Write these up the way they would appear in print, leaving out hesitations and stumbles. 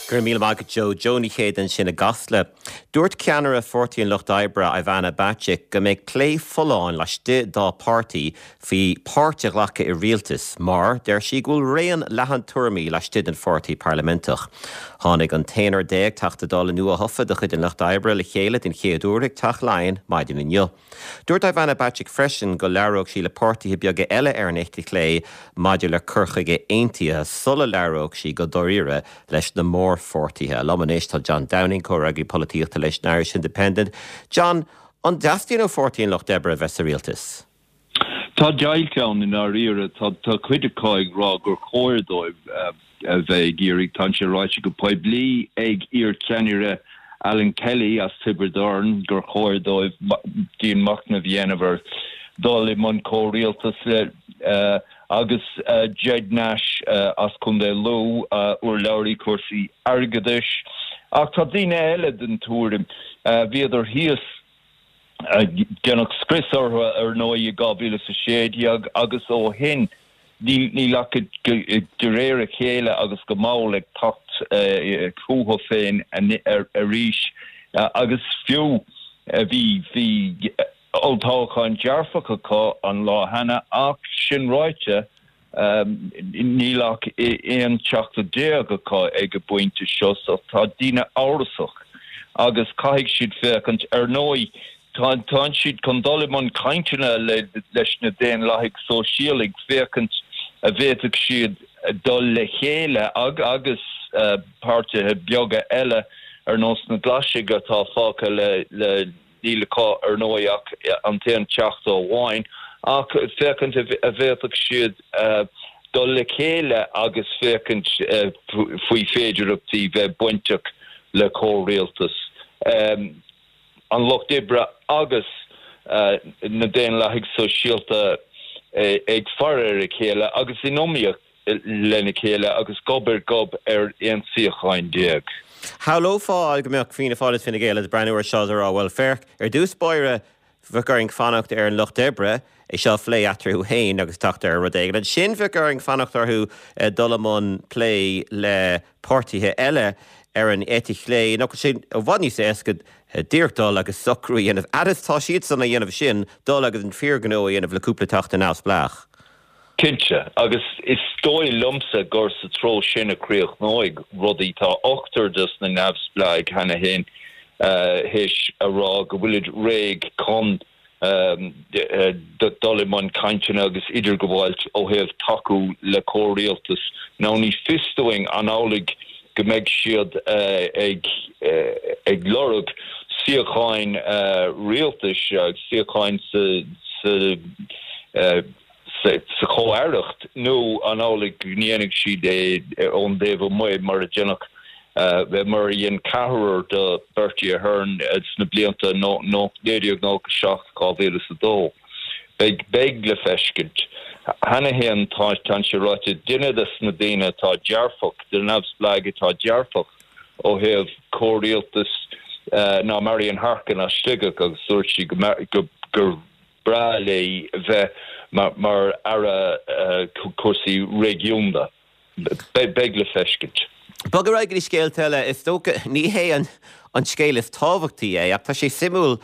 Go raibh míle maith agat Joe. Joe Ní Chéide ansin i gCasla. Dúirt ceannaire Pháirtí an Lucht Oibre, Ivana Bacik, go mbeidh plé folláin laistigh dá páirtí faoi pháirt a ghlacadh i rialtas mar, deir sí, go bhfuil raon leathan tuairimí laistigh den pháirtí parlaiminteach. Tháinig an t-aonár Teachta Dála nua-thofa de chuid an Lucht Oibre le chéile den chéad uair ag Teach Laighean maidin inniu. Dúirt Ivana Bacik freisin go labhródh sí le páirtithe beaga eile ar an eite chlé maidir le cur chuige aontaithe sula labhródh sí go dáiríre leis na mórpháirtithe. Liom anois tá John Downing, comhfhreagraí polaitíochta leis an Irish Independent. John, an dteastaíonn ó Pháirtí an Lucht Oibre a bheith sa rialtas? Tá deighilt ann i ndáiríre. Tá cuid acu ag rá gur chóir dóibh a bheith ag iarraidh. Tá sé ráite go poiblí ag iar-cheannaire Alan Kelly as Tiobraid Árann gur chóir dóibh dianmhachnamh a dhéanamh ar dhul i mbun comhrialtas le agus Ged Nash as Contae Lú, urlabhraí cúrsaí airgeadais. Ach tá daoine eile den tuairim, bhíodar thíos, Deineadh scrios orthu ar ndóigh i 2016 agus ó shin níl ach de réir a chéile agus go mall ag teacht chucu féin arís agus fiú bhí bhí olltoghchán dearfach acu an lá cheana ach sin ráite Níl ach 11 teachta acu ag an bpointe seo so tá daoine amhrasach agus caithfidh siad féachaint. Ar ndóigh, tá siad chun dul i mbun cainteanna leis na Daonlathaigh Sóisialaigh féachaint a bhféadfadh siad dul le chéile agus páirtithe beaga eile ar nós na Glaisigh atá fágtha le Níl acu, ar ndóigh, ach an t-aon teachta amháin, ach féachaint a bhféadfadh siad dul le chéile agus féachaint faoi féidearthachtaí bheith bainteach le comhrialtas an Lucht Oibre agus na Daonlathaigh Sóisialta ag faire ar a chéile agus in iomaíocht lena chéile agus gob ar ghob ar 11 suíochán. Shamhlófá go mbeadh Fianna Fáil is Fine Gael ag breathnú ar seo is ag rá, bhuel féach, ar dtús báire bheadh orainn fanacht ar an Lucht Oibre é seo a phlé eatarthu féin agus teacht ar rud éigin. Ansin bheadh orainn fanacht orthu dul i mbun plé le páirtithe eile ar an eite chlé. Nach bhfuil sé i bhfad níos éasca díreach dul agus socrú a dhéanamh, fhad is tá siadsan á dhéanamh sin, dul agus an fíorghnó a dhéanamh le cúpla teachta neamhspleách. Cinnte, agus is dóigh liomsa gur sa treo sin a chríochnóidh rudaí. Tá ochtar dos na neamhspleáigh cheana féin théis a rá go bhfuilid réidh chun dul i mbun cainteanna agus idirghabháilt ó thaobh tacú le comhrialtas. Now ní fios dúinn an amhlaidh go mbeidh siad ag lorg suíocháin rialtais, suíocháin sa sa chomh-aireacht nó an amhlaidh go ndéanfaidh siad é ón dtaobh amuigh mar a deineadh, mar a dhein ceathrar de Bertie Ahern sna blianta 1997, 2002. Beidh, beidh le feiscint. Cheana féin tá, tá sé ráite, duine de na daoine atá dearfach, de na neamhspleáigh atá dearfach ó thaobh comhrialtas ná Marian Harkin as Sligeach agus dúirt sí go, go, gur breá léi bheith mar Aire Cúrsaí Réigiúnda. Beidh le feiscint. Bog ar aghaidh go dtí scéalta eile. Is dócha, ní hé an scéal is tábhachtaí é, ach tá sé suimiúil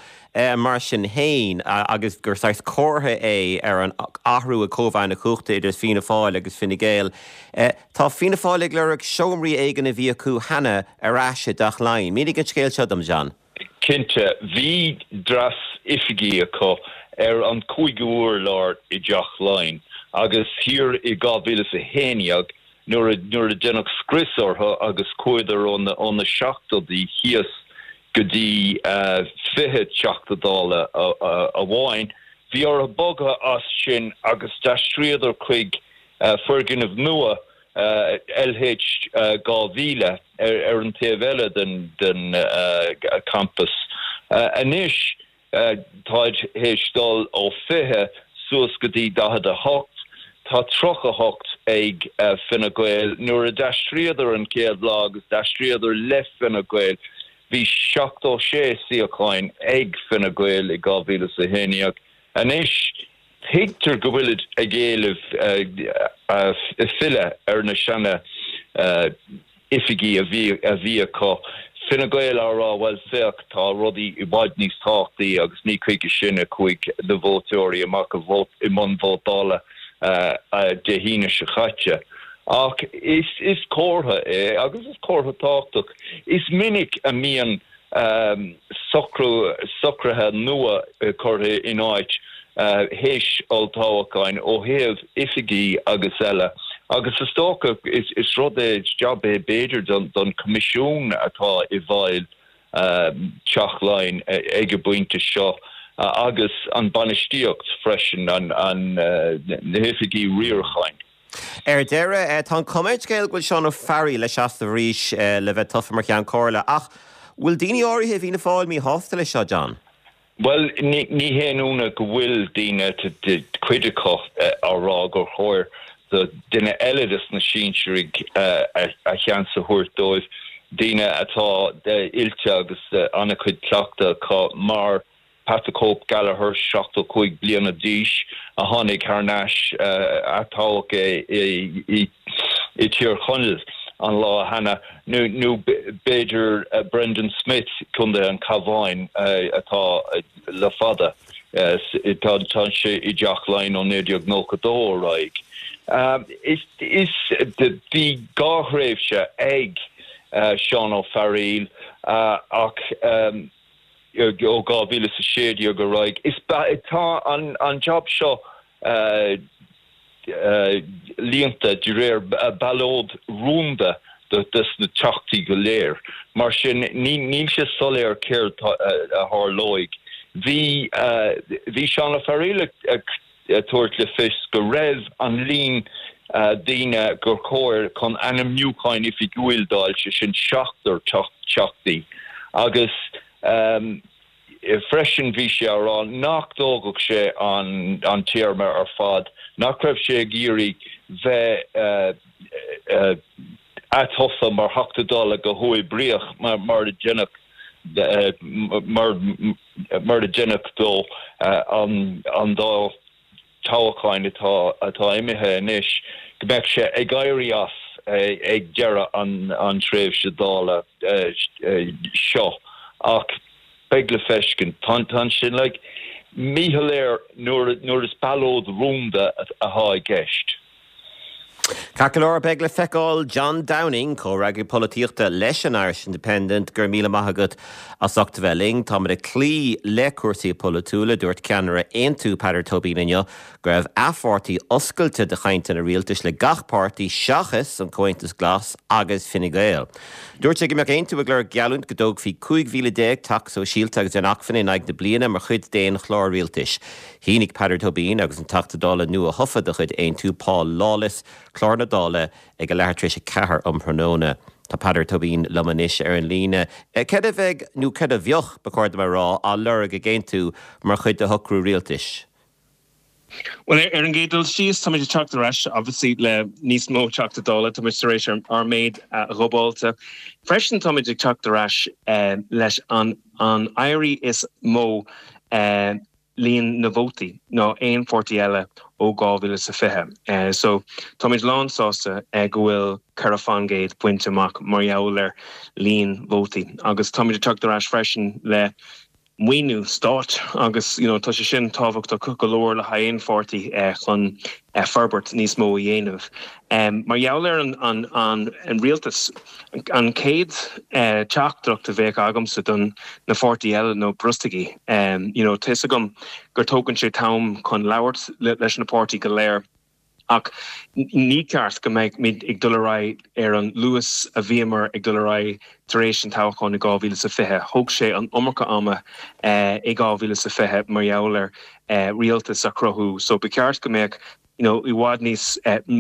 mar sin féin agus gur saghas comhartha é ar an athrú i cóimheá na cumhachta idir Fianna Fáil agus Fine Gael. Tá Fianna Fáil ag lorg seomraí éigin a bhí acu cheana ar ais i dTeach Laighean. Mínigh an scéal seo dom, John. Cinnte, bhí dreas oifigí acu ar an cúigiú hurlár i dTeach Laighean agus thiar i 2011 nuair a nuair a deineadh scrios orthu agus chuadar ó na ó na seachtóidí thíos go dtí 20 Teachta Dála amháin, bhí orthu bogadh as sin agus d'aistríodar chuig foirgneamh nua LH 2000 ar an taobh eile den campas. Anois táid théis dul ó 20 suas go dtí 48. Tá 38 ag Fine Gael. Nuair a d'aistríodar an chéad lá agus d'aistríodar le Fine Gael, bhí 76 suíocháin ag Fine Gael i 2011. Anois Tuigtear go bhfuilid ag éileamh filleadh ar na seana. oifigí a bhí a bhí acu. Fine Gael á rá, bhuel, féach, tá rudaí i bhfad níos tábhachtaí agus ní chuige sin a chuaigh na vótóirí amach i mbun vótála Dé hAoine seo caite. Ach is is comhartha é agus is comhartha tábhachtach. Is minic a mbíonn socrú, socruithe nua curtha in áit théis olltoghcháin ó thaobh oifigí agus eile agus is dócha is rud é, is jab é b'fhéidir don Choimisiún atá i bhfeighil Teach Laighean ag an bpointe seo agus an bainistíocht freisin, na hoifigí riaracháin. Ar deireadh, tá an chuma ar an scéal go bhfuil Seán Ó Fearraigh le seasamh arís le bheith tofa mar Cheann Comhairle, ach bhfuil daoine áirithe i bhFianna Fáil míshásta leis seo, John? Bhuel, ní haon ionadh go bhfuil daoine, cuid acu, á rá gur chóir do duine eile des na sinsearaigh a sheans a thabhairt dóibh, daoine atá oilte agus an-chuid cleachtadh acu mar Pat the Cope Gallagher, 75 bliana d'aois, a tháinig thar n-ais, atoghadh é i dTír Chonaill an lá cheana, nó b'fhéidir Brendan Smith, Contae an Chabháin, atá le fada, tá sé i dTeach Laighean ó 1992 ar aghaidh. Is bhí dhá thréimhse ag Seán Ó Fearghaíl ach, ó 2016 ar aghaidh. Is tá an jab seo líonta de réir ballóid rúnda des na teachtaí go léir. Mar sin níl sé soiléir céard a tharlóidh. Bhí bhí Seán Ó Fearghaíl ag tabhairt le fios go raibh an líon daoine gur chóir chun ainmniúcháin oifigiúil d'fháil, sé sin seachtar teachtaí, agus freisin bhí sé á rá nach dtógfadh sé an téarma ar fad, nach raibh sé ag iarraidh bheith atofa mar Theachta Dála go huathoibríoch mar a deineadh mar mar a deineadh dó an dá toghcháin atá imithe anois, go mbeadh sé ag éirí as ag deireadh an tréimhse Dála seo. Ach beidh le feiscint. Tá sin like míshoiléir nuair is ballóid rúnda atá i gceist. Ceart go leor, beidh le feiceáil. John Downing, Comhfhreagraí Polaitíochta leis an Irish Independent, go raibh míle maith agat as ucht a bheith linn. Táimid ag cloí le cúrsaí polaitiúla. Dúirt ceannaire Aontú, Peadar Tóibín inniu go raibh a pháirtí oscailte do chainteanna rialtais le gach páirtí seachas an Comhaontas Glas agus Fine Gael. Dúirt sé go mbeadh Aontú ag lorg geallúint go dtógfaí 15,000 teach sóisialta agus inacmhainne in aghaidh na bliana mar chuid d'aon chlár rialtais. Shínigh Peadar Tóibín agus an Teachta Dála nua-thofa de chuid Aontú, Paul Lawless, clár na Dála ag a leathuair tar éis a ceathair um thráthnóna. Tá Peadar Tóibín liom anois ar an líne. Céard a bheidh, nó céard a bheadh, ba chóir dom a rá, á lorg ag Aontú mar chuid de shocrú rialtais? Bhuel, ar an gcéad dul síos, táimid ag teacht ar ais, obviously, le níos mó Teachta Dála. Táimid tar éis ár méid a dhúbailt. Freisin, táimid ag teacht ar ais leis an éirí is mó líon na vótaí ná aon pháirtí eile ó 2020. So táimid lán sásta go bhfuil 4 fán gcéad bainte amach mar gheall ar líon vótaí agus táimid ag teacht ar ais freisin le maoiniú stáit agus you know tá sé sin tábhachtach go leor le haghaidh aon pháirtí chun forbairt níos mó a dhéanamh. Mar gheall ar an an rialtas, an chéad teachtaireacht a bheadh agamsa don na pháirtí eile nó brostaigí. You know, tá fhios agam gur tógann sé t-am chun labhairt leis na páirtí go léir ach ní ceart go mbeidh ag dul ar aghaidh ar an luas a bhíomar ag dul ar aghaidh tar éis an toghcháin i 2020. Thóg sé an iomarca ama i 2020 mar gheall ar rialtas a chruthú so ba cheart go mbeadh you know, i bhfad níos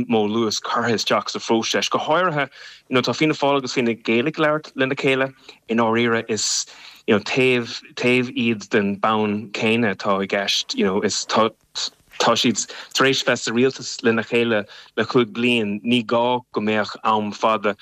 mó luas curtha isteach sa phróiseas. Go háirithe, you know, tá Fianna Fáil agus Fine Gael ag labhairt lena chéile, i ndáiríre is, you know, taobh, taobh iad den bonn céanna atá i gceist, you know, is tá, tá siad tar éis bheith sa rialtas lena chéile le chúig bliain, ní gá go mbeadh am fada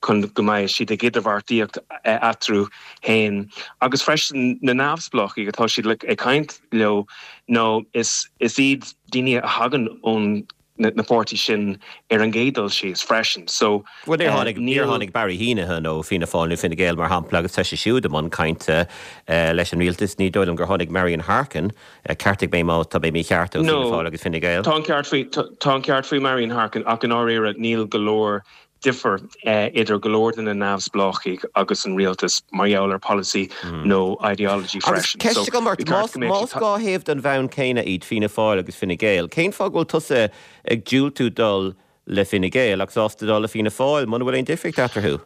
chun go mbeidh siad ag idirbheartaíocht eatarthu féin. Agus freisin na neamhspleáchaigh atá siad ag caint leo, nó is, is iad daoine a thagann ón. na páirtí sin ar an gcéad dul síos freisin. So, Bhuel, níor tháinig, níor tháinig Barry Heneghan ó Fianna Fáil nó Fine Gael, mar shampla, agus tá sé siúd i mbun cainte leis an rialtas. Ní dóigh liom gur tháinig Marian Harkin, ceartaigh mé má tá mé mícheart, ó Fianna Fáil agus Fine Gael. Tá an ceart faoi, tá an ceart faoi Marian Harkin ach i ndáiríre níl go leor difear idir go leor de na neamhspleáchaigh agus an rialtas mar gheall ar polasaí nó ideology freisin. Agus ceist agam ort, más dhá thaobh den bhonn céanna iad Fianna Fáil agus Fine Gael, cén fáth go bhfuil tusa ag diúltú dul le Fine Gael agus sásta dul le Fianna Fáil muna bhfuil aon difríocht eatarthu?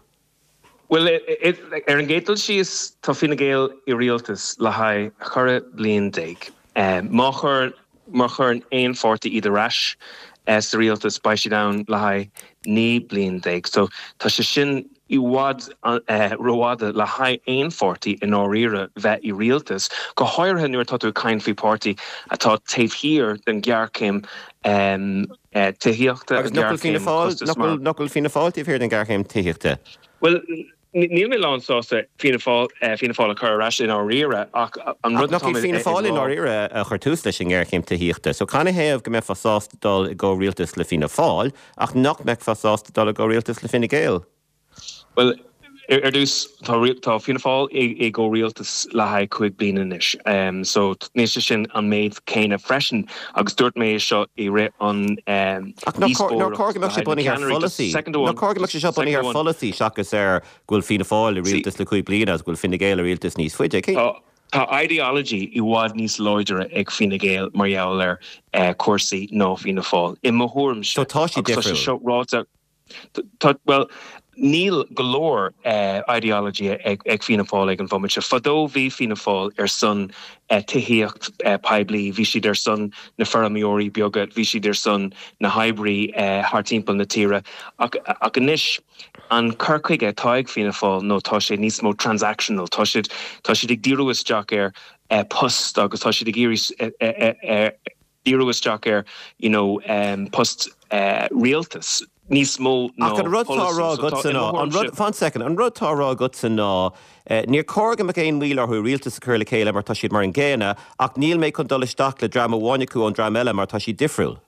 Bhuel, ar an gcéad dul síos, tá Fine Gael i rialtas le haghaidh 14 bliain. Má chuir, má chuireann aon pháirtí iad ar ais sa rialtas, beidh siad ann le haghaidh 19 bliain. So, tá sé sin i bhfad rófhada le haghaidh aon pháirtí i ndáiríre bheith i rialtas, go háirithe nuair atá tú ag caint faoi páirtí atá taobh thiar den ghéarchéim tithíochta, Agus nach bhfuil Fianna Fáil, nach bhfuil Fianna Fáil taobh thiar den ghéarchéim tithíochta? Bhuel, níl mé lán sásta Fianna Fáil, Fianna Fáil a chur ar ais i ndáiríre ach an rud atá mé ag rá. Nach Fianna Fáil i ndáiríre a chuir tús leis an ngéarchéim tithíochta. So canathaobh go mbeifeá sásta dul i gcomhrialtas le Fianna Fáil ach nach mbeifeá sásta dul i gcomhrialtas le Fine Gael? Bhuel, ar dtús, tá Fianna Fáil i gcomhrialtas le haghaidh 5 bliana anois, so níl sé sin an méid céanna freisin, agus dúirt mé é seo i rith an Ach nach cóir go mbeadh sé bunaithe ar pholasaí? Nach cóir go mbeadh sé seo bunaithe ar pholasaí seachas ar go bhfuil Fianna Fáil i rialtas le 5 bliana agus go bhfuil Fine Gael i rialtas níos faide? Tá ideology i bhfad níos láidre ag Fine Gael mar gheall ar chúrsaí ná Fianna Fáil, i mo thuairimse. So tá siad difriúil. Agus tá sé seo ráite. Tá, bhuel, níl go leor ideology ag Fianna Fáil ag an bhomaite. Fadó bhí Fianna Fáil ar son tithíocht poiblí, bhí siad ar son na feirmeoirí beaga, bhí siad ar son na hoibrí thar timpeall na tíre. Ach anois, an cur chuige atá ag Fianna Fáil nó tá sé níos mó transactional, tá siad, tá siad ag díriú isteach ar post agus tá siad ag iarraidh díriú isteach ar you know post rialtas níos mó ná Ach an rud tá á rá agatsa ná, an rud, fan second, an rud tá á rá agatsa ná níor chóir go mbeadh aon mhoill orthu rialtas a chur le chéile mar tá siad mar an gcéanna ach níl mé chun dul isteach le dream amháin acu ón dream eile mar tá siad difriúil.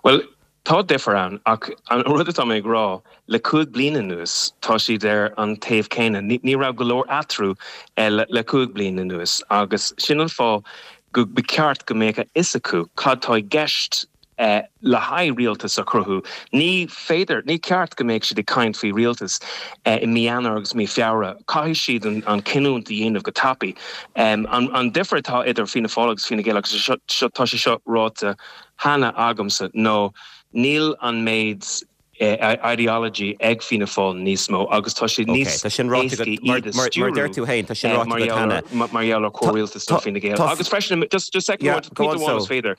Bhuel, tá difear ann ach an rud atá mé ag rá, le 5 bliana anuas tá siad ar an taobh céanna. Ní raibh go leor eatarthu le 5 bliana anuas agus sin an fáth go ba cheart go mbeadh a fhios acu cad tá i gceist le haghaidh rialtas a chruthú. Ní féidir, ní ceart go mbeadh siad ag caint faoi rialtas i mí Eanáir agus mí Feabhra. Caithfidh siad an cinniúint a dhéanamh go tapaidh. An difear atá idir Fianna Fáil agus Fine Gael, agus tá sé seo ráite cheana agamsa, ná níl an méid ideology ag Fianna Fáil níos mó agus tá sé níos éasca iad a stiúrú mar gheall ar chomhrialtas le Fine Gael. Agus freisin, just second one, pointe amháin is féidir,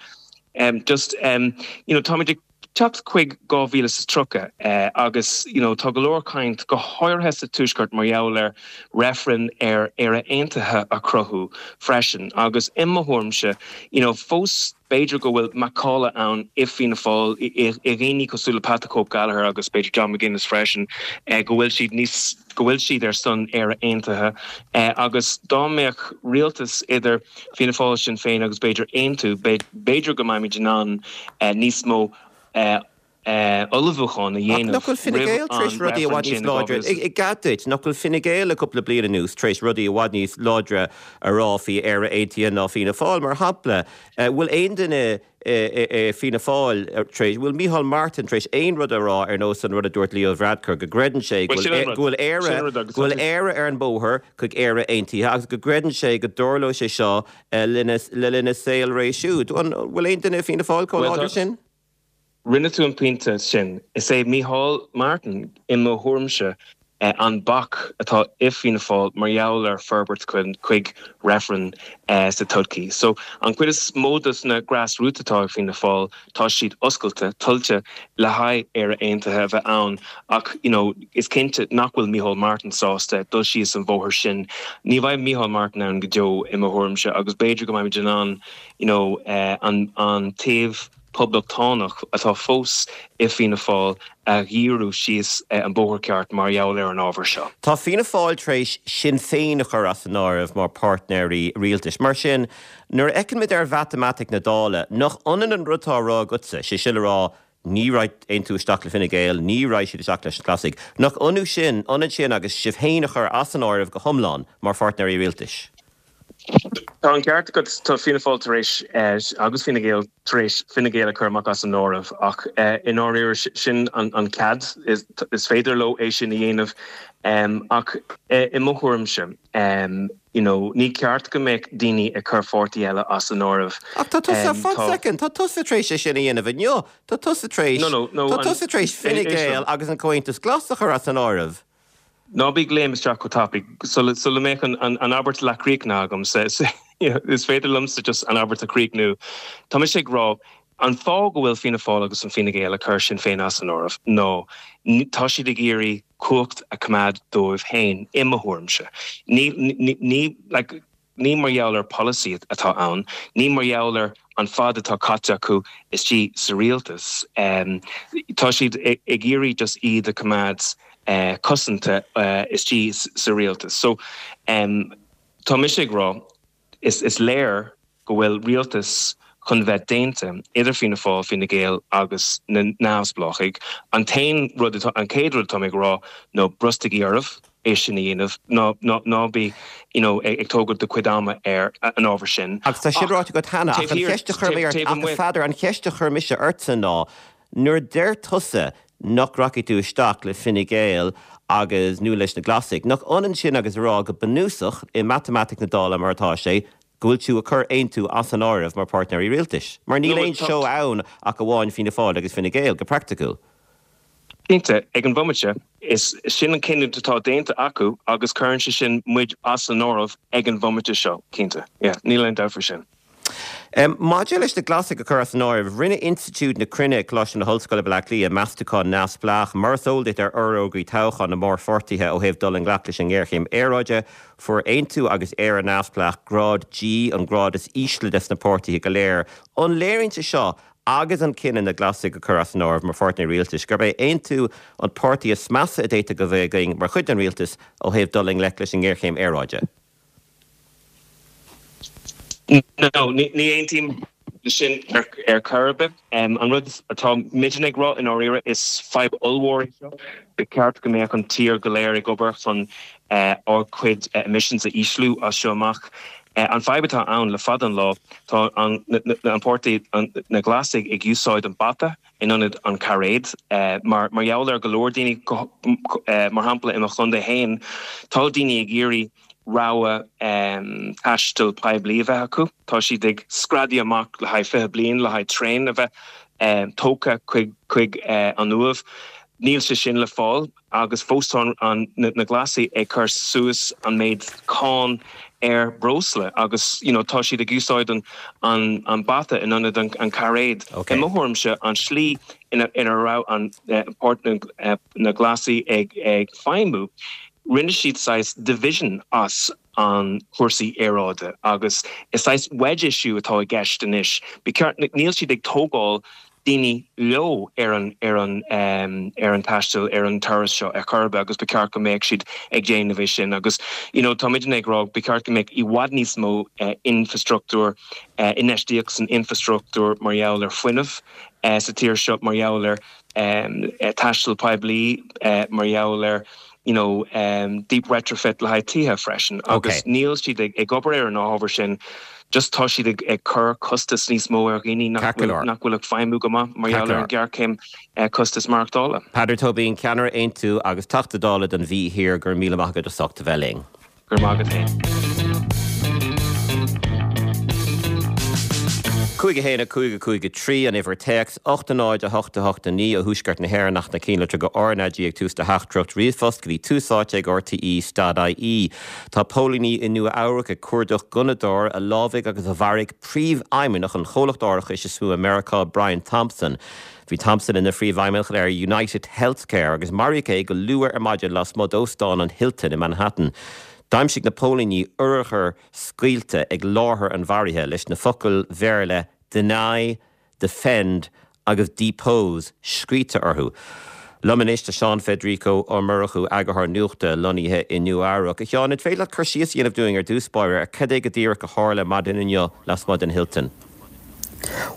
just, you know, táimid ag teacht chuig 2030 agus, you know, tá go leor caint, go háirithe sa Tuaisceart, mar gheall ar reifreann ar Éire Aontaithe a chruthú freisin agus i mo thuairimse, you know, fós b'fhéidir go bhfuil macalla ann i Fianna Fáil, i dhaoine cosúil le Pat the Cope Gallagher agus b'fhéidir John McGuinness freisin, go bhfuil siad níos, go bhfuil siad ar son Éire Aontaithe agus dá mbeadh rialtas idir Fianna Fáil, Sinn Féin agus b'fhéidir Aontú, b'fhéidir go mbeimid in ann níos mó ullmhúcháin a Ach dhéanamh nach bhfuil Fine roimh Gael tar éis an rudaí i reifreann bhfad níos sin in láidre, 2000. i gcead duit, nach bhfuil Fine Gael le cúpla bliain anuas tar éis rudaí i bhfad níos láidre a rá faoi Éire Aontaithe ná Fianna Fáil, mar shampla? Bhfuil aon duine i Fianna Fáil tar éis, bhfuil Micheál Martin tar éis aon rud a rá ar nós an rud a dúirt Leo Varadkar, go gcreideann sé go Bhuel, sin an rud. bhfuil Éire, Sin an rud agus go tá bhfuil sé. Éire ar an mbóthar chuig Éire Aontaithe agus go gcreideann sé go dtarlóidh sé seo le linn a saolré siúd. An bhfuil aon duine i Fianna Fáil chomh Bhuel, tá. láidir sin? Rinne tú an pointe sin. Is é Micheál Martin, i mo thuairimse, an bac atá i Fianna Fáil mar gheall ar forbairt chuig reifreann sa todhchaí. So, an chuid is mó dos na grassroots atá ag Fianna Fáil, tá siad oscailte, toillte le haghaidh Éire Aontaithe a bheith ann ach, you know, is cinnte nach bhfuil Micheál Martin sásta dul síos an bhóthar sin. Ní bheidh Micheál Martin ann go deo, i mo thuairimse, agus b'fhéidir go mbeimid in ann, you know, an taobh. Poblachtánach atá fós i Fianna Fáil a dhíriú síos an bóthar ceart mar gheall ar an ábhar seo. Tá Fianna Fáil tar éis Sinn Féin a chur as an áireamh mar páirtnéirí rialtais. Mar sin, nuair a fheiceann muid ar mhatamaitic na Dála, nach ionann an rud atá á rá agatsa, sé sin le rá, ní raghaidh Aontú isteach le Fine Gael, ní raghaidh siad isteach leis na Glasaigh, nach ionadh sin, ionann sin agus sibh féin a chur as an áireamh go hiomlán mar pháirtnéirí rialtais? Tá an ceart agat, tá Fianna Fáil tar éis, agus Fine Gael tar éis, Fine Gael a chur amach as an áireamh ach i ndáiríre sin an cead, is féidir leo é sin a dhéanamh ach i mo thuairimse, you know, ní ceart go mbeadh daoine ag cur pháirtí eile as an áireamh. Ach tá tusa, fan soicind, tá tusa tar éis é sin a dhéanamh inniu, tá tusa tar éis, tá tusa tar éis Fine Gael agus an Comhaontas Glas a chur as an áireamh. Ná bí ag léim isteach chomh tapaidh. Sula mbeadh an abairt leathchríochnaithe agam, is féidir liomsa just an abairt a chríochnú. Tá mise ag rá, an fáth go bhfuil Fianna Fáil agus an Fine Gael ag cur Sinn Féin as an áireamh ná tá siad ag iarraidh cumhacht a choimeád dóibh féin, i mo thuairimse. Ní, ní, like, Ní mar gheall ar polasaí atá ann, ní mar gheall ar an fad atá caite acu istigh sa rialtas. Tá siad ag iarraidh just iad a choimeád cosanta istigh sa rialtas. So, tá mise ag rá, is léir go bhfuil rialtas chun bheith déanta idir Fianna Fáil, Fine Gael agus na neamhspleáchaigh. An t-aon rud atá, an chéad rud atá mé ag rá ná brostaigí oraibh é sin a dhéanamh, ná, ná, ná bí, you know, ag tógáil do chuid ama ar an ábhar sin. Agus tá sin ráite agat cheana, ach an cheist a chuir mé ort, ach a Pheadair, an cheist a chuir mise ortsa ná, nuair a deir tusa nach rachaidh tú isteach le Fine Gael agus, nó leis na Glasaigh, nach ionann sin agus a rá go bunúsach, i matamaitic na Dála mar atá sé, go bhfuil tú ag cur Aontú as an áireamh mar páirtnéirí rialtais? Mar níl aon seó ann ach amháin Fianna Fáil agus Fine Gael, go praiticiúil. Cinnte, ag an bhomaite, is sin an cinneadh atá déanta acu agus cuireann sé sin muid as an áireamh ag an bhomaite seo, cinnte. Yeah, níl aon dabht faoi sin. Maidir leis na Glasaigh a chur as an áireamh, rinne Institiúid na Cruinne ag Coláiste na hOllscoile, Baile Átha Cliath, meastúchán neamhspleách, mar is eol duit, ar fhorógraí toghcháin na mórpháirtithe ó thaobh dul i ngleic leis an ngéarchéim aeráide. Fuair Aontú agus Éire Neamhspleách grád G, an grád is ísle des na páirtithe go léir. An léiríonn sé seo agus an cinneadh na Glasaigh a chur as an áireamh mar pháirtnéir rialtais, gurb é Aontú an páirtí is measa a d'fhéadfadh a bheith againn mar chuid den rialtas ó thaobh dul i ngleic leis an ngéarchéim aeráide. No, ní aontaím leis sin ar chor ar bith. An rud atá muidne ag rá i ndáiríre, is fadhb ollmhór é seo. Ba cheart go mbeadh an tír go léir ag obair chun ár gcuid emissions a ísliú as seo amach. An fadhb atá ann le fada an lá, tá an páirtí, na Glasaigh, ag úsáid an bata in ionad an cairéad. Mar gheall ar go leor daoine, mar shampla i mo chontae féin, tá daoine ag iarraidh rogha taistil poiblí a bheith acu. Tá siad ag screadaíl amach le haghaidh 20 bliain le haghaidh traein a bheith tógtha chuig an Uaimh. Níl sé sin le fáil agus fós tá na Glasaigh ag cur suas an méid cáin ar breosla agus you know tá siad ag úsáid an bata in ionad an cairéad. I mo thuairimse an slí ina raibh an na Glasaigh ag feidhmiú Rinne siad saghas division as an cúrsaí aeráide agus is saghas wedge issue atá i gceist anois. Ba cheart, níl siad ag tógáil daoine leo ar an ar an ar an taisteal ar an turas seo ar chor ar bith agus ba cheart go mbeadh siad ag déanamh é sin agus you know tá muidne ag rá ba cheart go mbeadh i bhfad níos mó infrastruchtúr infheistíocht san infrastruchtúr mar gheall ar fuinneamh sa tír seo mar gheall ar taisteal poiblí mar gheall ar you know deep retrofit le haghaidh tithe freisin agus níl siad ag obair ar an ábhar sin just tá siad ag cur costas níos mó ar dhaoine nach bhfuil nach bhfuil ag feidhmiú go maith mar gheall ar an ghéarchéim costas maireachtála. Peadar Tóibín, Ceannaire Aontú agus Teachta Dála don Mhí Thiar, go raibh míle maith agat as ucht a bheith linn. Go raibh maith agat féin. 5 1 5 5 3 an uimhir téacs, 8 0 8 8 9 ó thuaisceart na hÉireann ach na cinnlitreacha go RnaG ag tús do theachtaireacht ríomhphost go dtí tús áite ag rte stad ie. Tá póilíní i Nua Eabhrac ag cuardach gunnadóra a lámhaigh agus a mharaigh príomhfheidhmeannach an chomhlacht árachais is mó i Meiriceá, Brian Thompson. Bhí Thompson ina phríomhfheidhmeannach ar United Healthcare agus maraíodh é go luath ar maidin lasmuigh d'Óstán an Hilton i Manhattan. D'aimsigh na póilíní urchar scaoilte ag láthair an mharaithe leis na focail Bhéarla Deny. Defend agus Depose scríte orthu. Liom anois tá Seán Federico Ó Murchú, eagarthóir nuachta lonnaithe i Nua Eabhrac. A Sheáin, an féidir leat cur síos a dhéanamh dúinn ar dtús báire ar cad é go díreach a tharla maidin inniu lasmuigh den Hilton?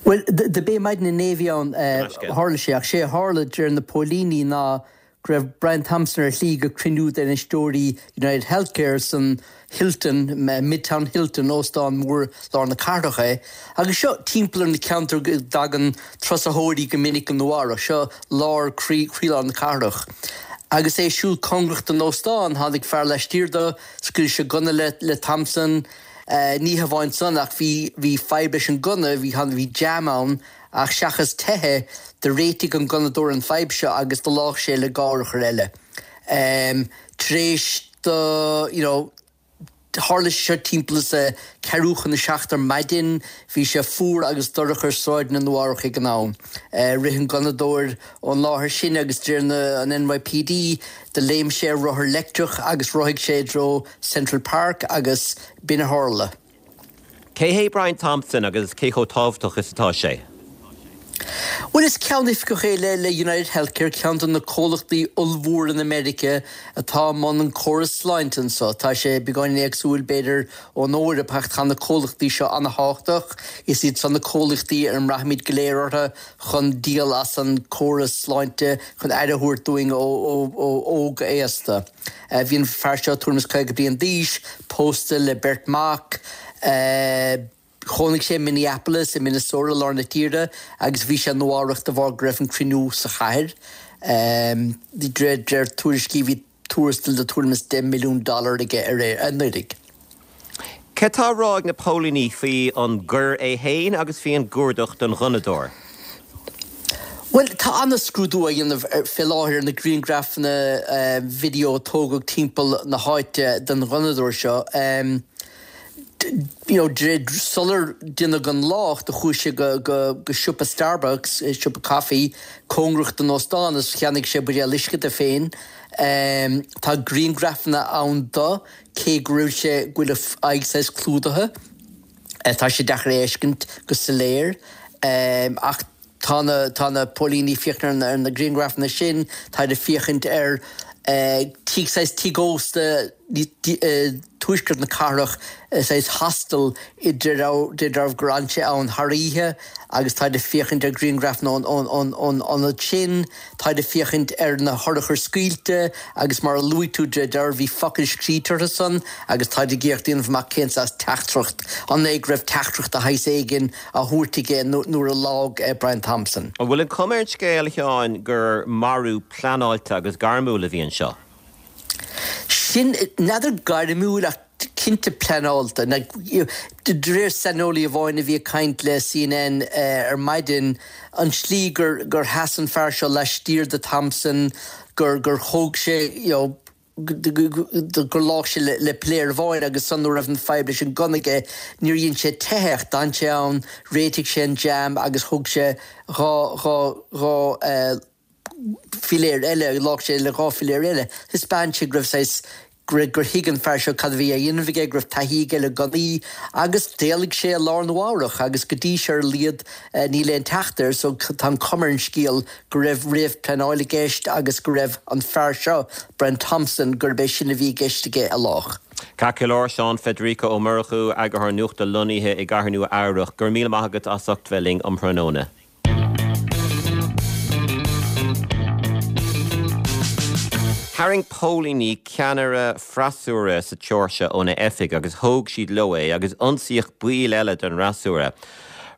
Bhuel, do b'é maidin inné a bhí ann a tharla sé, ach sé a tharla, deir na póilíní, ná go raibh Brian Thompson ar a shlí go cruinniú d'infheisteoirí United Healthcare san Hilton, Midtown Hilton, óstán mór lár na cathrach é. Agus seo timpeall ar na ceantair go dtagann turasóirí go minic go Nua Eabhrac, seo lár, croí, croílár na cathrach. Agus é ag siúl cóngarach don óstán, tháinig fear laistiar de, scaoil sé gunna le, le Thompson. Ní hamháin san ach bhí, bhí fadhb leis an gunna, bhí, bhí jam ann. Ach seachas teitheadh, do réitigh an gunnadóir an fadhb seo agus do lách sé le dhá urchar eile. Tar éis do, you know, tharla sé seo timpeall is a ceathrú chun a 7 ar maidin, bhí sé fuar agus dorcha ar sráideanna Nua Eabhrac ag an am. Rith an gunnadóir ón láthair sin agus de réir na, an NYPD, do léim sé ar rothar leictreach agus rothaigh sé i dtreo Central Park agus b'in a tharla. Cé hé Brian Thompson agus cé chomh tábhachtach is atá sé? Bhuel, is ceannoifigeach é le le United Healthcare, ceann de na comhlachtaí ollmhóra in America atá i mbun an córas sláinte anso. Tá sé beagáinín éagsúil, b'fhéidir, ón Eoraip ach tá na comhlachtaí seo ana-thábhachtach. Is iad san na comhlachtaí ar a mbraithimid go léir orthu chun díol as an córas sláinte, chun aire a thabhairt dúinn ó óg go aosta. Bhí an fear seo tuairim is 50 bliain d'aois, pósta le beirt mac. Chónaigh sé i Minneapolis i Minnesota, lár na tíre, agus bhí sé i Nua Eabhrac de bharr go raibh an cruinniú sa chathair. De réir tuairiscí bhí tuarastal de tuairim is 10 milliún dollar aige anuraidh. Cad tá á rá ag na póilíní faoi an gcoir é féin agus faoi an gcuardach don ghunnadóir? Bhuel, tá an-scrúdú á dhéanamh fé láthair ar na grianghrafanna video a tógadh timpeall na háite den ghunnadóir seo. You know, sular deineadh an lách, do chuaigh sé go go siopa Starbucks, siopa caife, cóngarach don óstán agus cheannaigh sé buidéal uisce dó féin. Tá grianghrafanna ann do. Cé go raibh sé, go bhfuil a aghaidh saghas clúdaithe, tá sé deacair é a fheiscint go soiléir. Ach tá na, tá na póilíní ag féachaint ar na grianghrafanna sin, táid ag féachaint ar tigh, saghas tigh ósta i dtuaisceart na cathrach, saghas hostel i dealramh gur fhan sé ann thar oíche agus táid ag féachaint ar ghrianghrafanna ón ionad sin. Táid ag féachaint ar na hurchair scaoilte agus mar a luaigh tú de dealramh bhí focail scríte orthu san agus táid ag iarraidh déanamh amach cén saghas teachtaireacht, an é go raibh teachtaireacht de shaghas éigin á thabhairt aige nuair a lágh Brian Thompson. An bhfuil an chuma ar an scéal, a Sheáin, gur marú pleanáilte agus gairmiúil a bhí anseo? Sin, n'fheadar gairmiúil ach cinnte pleanáilte. De réir saineolaí amháin a bhí ag caint le CNN ar maidin, an tslí gur gur sheas an fear seo laistiar de Thompson, gur gur thóg sé you know gur lách sé le piléar amháin agus ansan nuair a raibh an fadhb leis an gunna aige níor dhein sé teitheadh ach d'fhan sé ann, réitigh sé an jam agus thóg sé 2 2 2 philéar eile, lách sé le 2 philéar eile. Thaispeáin sé go raibh saghas, go raibh, gur thuig an fear seo cad a bhí á dhéanamh aige, go raibh taithí aige le gunnaí agus d'éalaigh sé i lár Nua Eabhrach agus go dtí seo ar a laghad níl aon teacht air so tá an chuma ar an scéal go raibh réamh-pleanáil i gceist agus go raibh an fear seo, Brian Thompson, gurb é sin a bhí i gceist aige a lách. Ceart go leor, Seán Federico Ó Murchú, Eagarthóir Nuachta lonnaithe i gCathair Nua Eabhrach, go raibh míle maith agat as ucht bheith linn um thráthnóna. Tharraing póilíní ceannaire freasúra sa tSeoirsia óna oifig agus thóg siad leo é agus ionsaíodh baill eile den fhreasúra.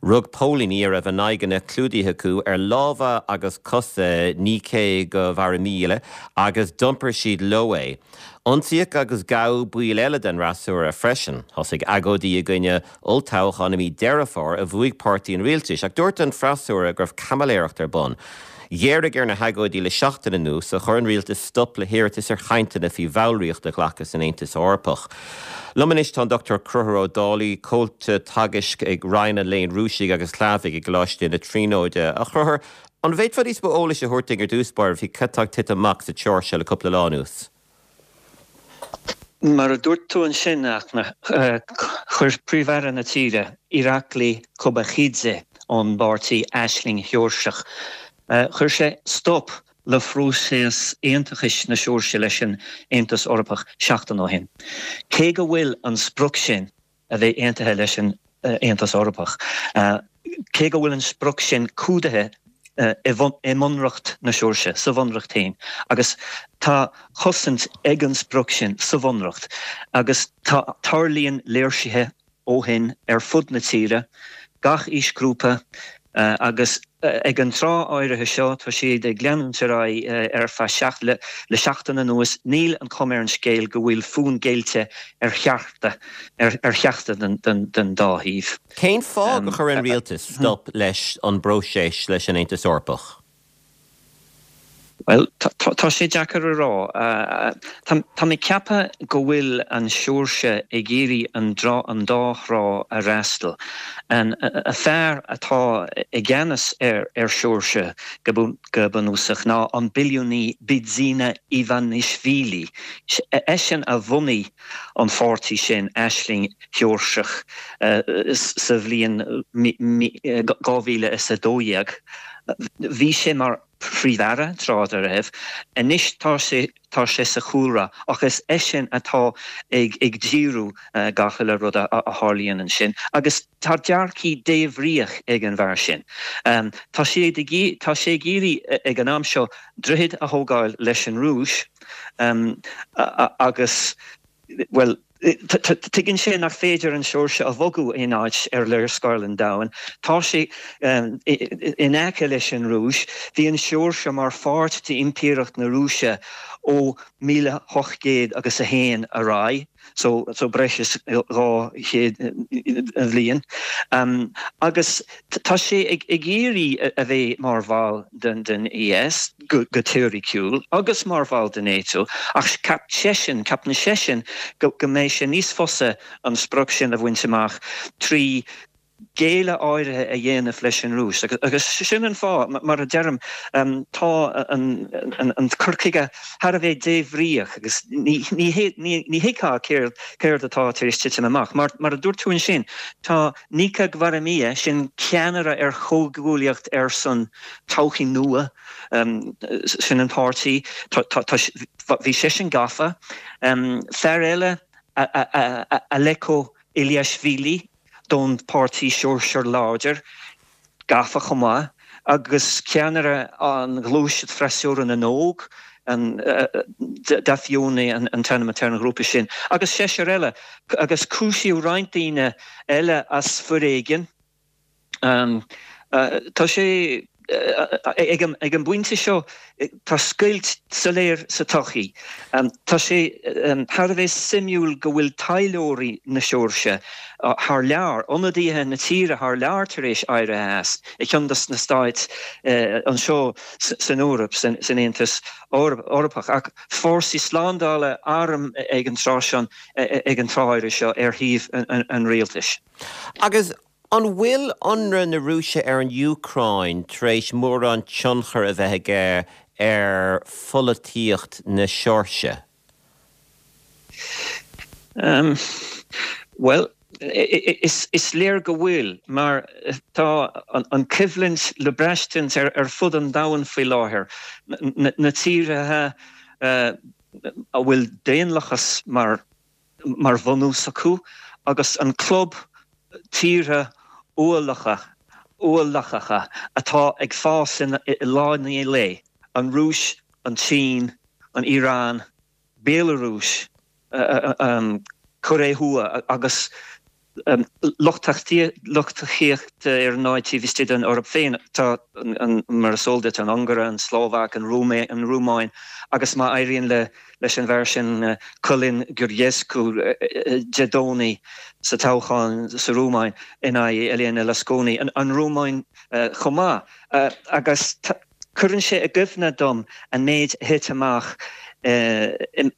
Rug póilíní a raibh a n-aghaidheanna clúdaithe acu ar lámha agus cosa Nika Gvaramia agus d'iompair siad leo é. Ionsaíodh agus gabhadh baill eile den fhreasúra freisin. Thosaigh agóidí i gcoinne olltoghchán i mí Deireadh Fómhair a bhuaigh páirtí an rialtais, ach dúirt an freasúra go raibh caimiléireacht ar bun. Ghéaraigh ar na hagóidí le seachtain anuas ó chuir an rialtas stop le hiarratais ar chainteanna faoi bhallraíocht a ghlacadh san Aontas Eorpach. Liom anois tá an Dr Conchúr Ó Dálaigh, Comhalta Teagaisc ag Roinn an Léinn Rúisigh agus Shlávaigh i gColáiste na Tríonóide. A Chonchúir, an bhféadfá níos mó eolais a thabhairt dúinn ar dtús báire faoi cad tá ag titim amach sa tSeoirsia le cúpla lá anuas? Mar a dúirt tú ansin, a Fhachtna, chuir Príomh-Aire na tíre, Irakli Kobakhidze, ón bpáirtí Aisling Sheoirseach. Chuir sé stop le phróiseas aontachais na Seoirsia leis an Aontas Eorpach seachtain ó shin. Cé go bhfuil an sprioc sin a bheith aontaithe leis an Aontas Eorpach, cé go bhfuil an sprioc sin cumhdaithe i mBunreacht na Seoirsia, sa Bhunreacht féin, agus tá cosaint ag an sprioc sin sa Bhunreacht, agus tá, tarlaíonn léirsithe ó shin ar fud na tíre, gach aoisghrúpa, agus ag an tráth áirithe seo, tá siad ag leanúint ar aghaidh ar feadh le seachtain anuas, níl an chuma ar an scéal go bhfuil fonn géillte ar cheachtar ar cheachtar den dá thaobh. Cén fáth gur chuir an rialtas stop leis an bpróiseas leis an Aontas Eorpach? Bhuel, tá sé deacair a rá. Tá mé ag ceapadh go bhfuil an Seoirsia ag iarraidh an dá thrá a fhreastal. An fear atá i gceannas ar Seoirsia go bunúsach ná an billiúnaí Bidzina Ivanishvili. Eisean a bhunaigh an pháirtí sin, Aisling Sheoirseach, sa bhliain 2012. Bhí sé mar Phríomh-Aire tráth dá raibh. Anois tá sé tá sé sa chúlra ach is eisean atá ag ag díriú gach uile rud a tharlaíonn ansin agus tá dearcadh débhríoch ag an bhfear sin. Tá sé ag tá sé ag iarraidh ag an am seo droichead a thógáil leis an Rúis agus bhuel, tuigeann sé nach féidir an Seoirsia a bhogadh aon áit ar léarscáil an domhain. Tá sé in aice leis an Rúis. Bhí an Seoirsia mar pháirt d'Impireacht na Rúise ó 1801 agus ar aghaidh, so breis is 200 bhliain. Agus tá sé ag iarraidh a bheith mar bhall den AS. go teoiriciúil, agus mar bhall de NATO, ach cheap seisean, ceapann seisean go mbeidh sé níos fusa an sprioc sin a bhaint amach trí ghéilleadh áirithe a dhéanamh leis an Rúis. Agus sin an fáth, mar a deirim, tá an cur chuige thar a bheith débhríoch agus ní thuigfeá céard atá tar éis titim amach. Mar a dúirt tú ansin, tá Nika Gvaramia, sin ceannaire ar Chomhghuaillíocht ar son Todhchaí Nua, sin an páirtí, bhí seisean gafa. Fear eile, Aleko Iliashvili, don pháirtí Seoirsia Láidir, gafa chomh maith, agus ceannaire an ghluaiseacht Freasúra na nÓg, Dafioni an t-ainm atá ar an ghrúpa sin, agus seisear eile, agus cúisíodh roinnt daoine eile as foréigean. Tá sé, ag an bpointe seo, tá scoilt soiléir sa tsochaí. Tá sé thar a bheith suimiúil go bhfuil taidhleoirí na Seoirsia thar lear, ionadaithe na tíre thar lear tar éis éirithe as, i gceann de na stáit anseo san Eoraip, san Aontas Eorpach. Ach fórsaí slándála, arm ag an tráth seo, ag an tráth áirithe seo ar thaobh an rialtais. Agus an bhfuil ionradh na Rúise ar an Úcráin tar éis mórán tionchar a bheith aige ar pholaitíocht na Seoirsia? Bhuel, is léir go bhfuil, mar tá an choimhlint le braistint ar fud an domhain faoi láthair. Na tíortha a bhfuil daonlathas mar mar bhunús acu agus an club tíortha uathlacha, uathlathacha atá ag fás i lá i ndiaidh lae, an Rúis, an tSín, an Iaráin, Béalarúis, Cóiré Thuaidh agus lucht tacaíochta ar ndóigh taobh istigh den Eoraip féin. Tá, mar is eol duit, an Ungáir, an tSlóvaic, an Rómáin agus má éiríonn le leis an bhfear sin Călin Georgescu Dé Domhnaigh sa toghchán sa Rómáin in aghaidh Elena Lasconi, an Rómáin chomh maith. Agus cuireann sé i gcuimhne dom an méid a thit amach i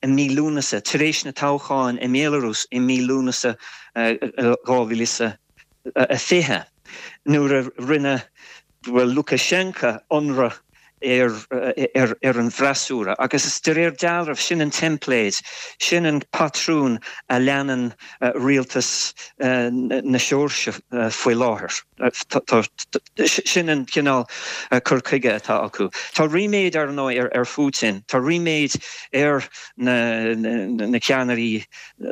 mí Lúnasa, tar éis na toghcháin i mBéalarúis i mí Lúnasa 2020, nuair a rinne Lukashenka ionradh. ar ar an bhfreasúra agus is de réir dealraimh sin an teimpléad, sin an patrún a leanann rialtas na Seoirsia faoi láthair. Sin an cineál cur chuige atá acu. Tá ríméad ar ndóigh ar Phutin, tá ríméad ar na ceannairí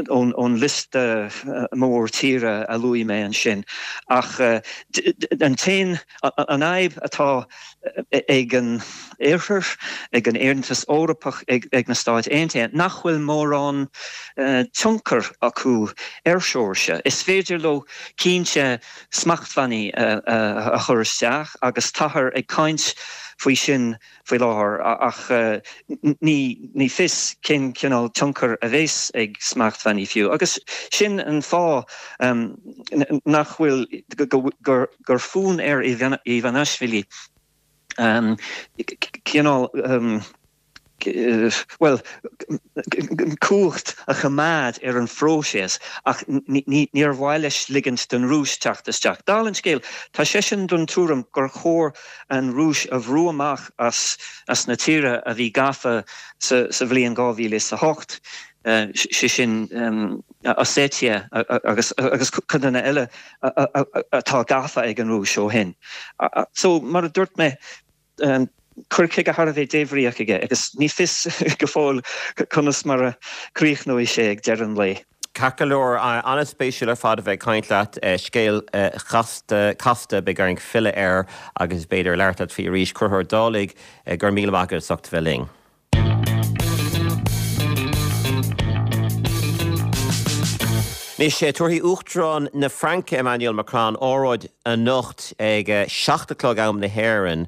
ón liosta mór tíre a luaigh mé ansin ach an t-aon An fhadhb atá ag an Oirthear, ag an Aontas Eorpach, ag na Stáit Aontaithe, nach bhfuil mórán tionchar acu ar Sheoirsia. Is féidir leo cinnte smachtbhannaí a chur isteach agus táthar ag caint faoi sin faoi láthair ach ní fios cén cineál tionchair a bheas ag smachtbhannaí fiú. Agus sin an fáth nach bhfuil, gur fonn ar Ivanishvili cineál, bhuel, cumhacht a choimeád ar an phróiseas ach níor mhaith leis ligint don Rúis teacht isteach. Dála an scéil, tá seisean den tuairim gur chóir an Rúis a bhrú amach as na tíortha a bhí gafa sa bhliain 2008, sé sin Ossetia agus codanna eile atá gafa ag an Rúis ó shin. So, mar a dúirt mé, cur chuige thar a bheith débhríoch aige agus ní fios go fóill conas mar a chríochnóidh sé ag deireadh an lae. Ceart go leor, an-spéisiúil ar fad a bheith ag caint leat. Scéal chasta, casta, beidh orainn filleadh air agus b'fhéidir labhairt leat faoi arís. Conchúr Ó Dálaigh, go raibh míle maith agat as ucht a bheith linn. Anois, tabharfaidh Uachtarán na Fraince, Emmanuel Macron, óráid anocht ag a 7 a chlog am na hÉireann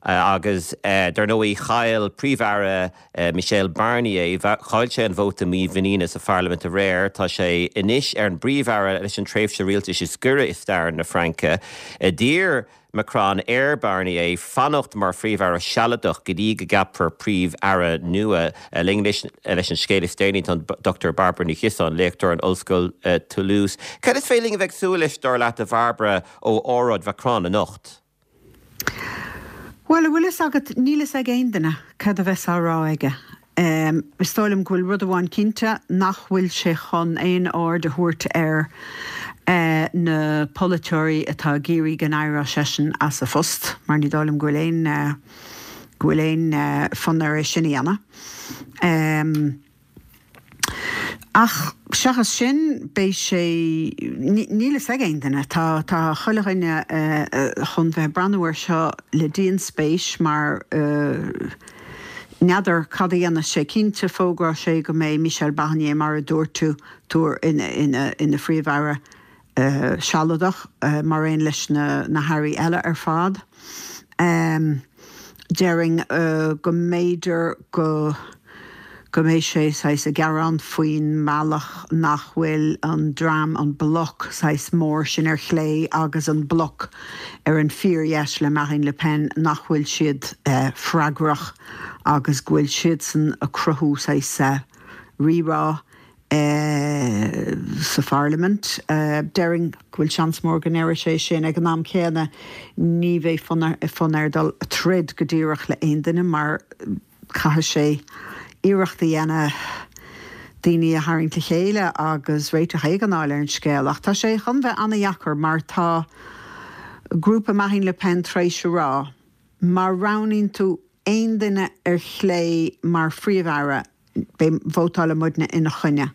agus dar ndóigh chaill Príomh-Aire Michel Barnier, chaill sé an vóta mímhuiníne sa pharlaimint aréir. Tá sé anois ar an bPríomh-Aire leis an tréimhse rialtais is giorra i stair na Fraince. D'iarr Macron ar Barnier fanacht mar Phríomh-Aire sealadach go dtí go gceapfar Príomh-Aire nua. Linn anois leis an scéal is déanaí tá an Dr Bairbre Ní Chiosáin, léachtóir in Ollscoil Toulouse. Cad is féidir linn a bheith ag súil leis, dar leat, a Bhairbre, ó óráid Mhacron anocht? Bhuel, a bhfuil fhios agat, níl fhios ag aon duine cad a bheas á rá aige. Is dóigh liom go bhfuil rud amháin cinnte, nach bhfuil sé chun aon aird a thabhairt ar na polaiteoirí atá ag iarraidh go n-éireodh seisean as a phost, mar ní dóigh liom go bhfuil aon, go bhfuil aon fhonn air é sin a dhéanamh. Ach seachas sin, beidh sé, níl fhios ag aon duine. Tá, tá chuile dhuine chun bheith ag breathnú air seo le dianspéis mar n'fheadar cad a dhéanfas sé. Cinnte, fógróidh sé go mbeidh Michel Barnier, mar a dúirt tú, tú ina, ina Phríomh-Aire. sealadach, mar aon leis na hairí eile ar fad. Déarfainn go mb'fhéidir go go mbeidh sé saghas ag gearán faoin mbealach nach bhfuil an dream, an bloc saghas mór sin ar chlé agus an bloc ar an fíordheis le Marine Le Pen, nach bhfuil siad freagrach agus go bhfuil siadsan ag cruthú saghas rírá. sa pharlaimint. Déarfainn go bhfuil seans mór go ndéarfaidh sé sin. Ag an am céanna, ní bheidh fonn air dul ag troid go díreach le aon duine mar caithfidh sé iarracht a dhéanamh daoine a tharraingt le chéile agus réiteach éigin a fháil ar an scéal. Ach tá sé chun bheith an-dheacair mar tá grúpa Marine Le Pen tar éis a rá má roghnaíonn tú aon duine ar chlé mar Phríomh-Aire, beidh, vótálfaidh muidne ina choinne.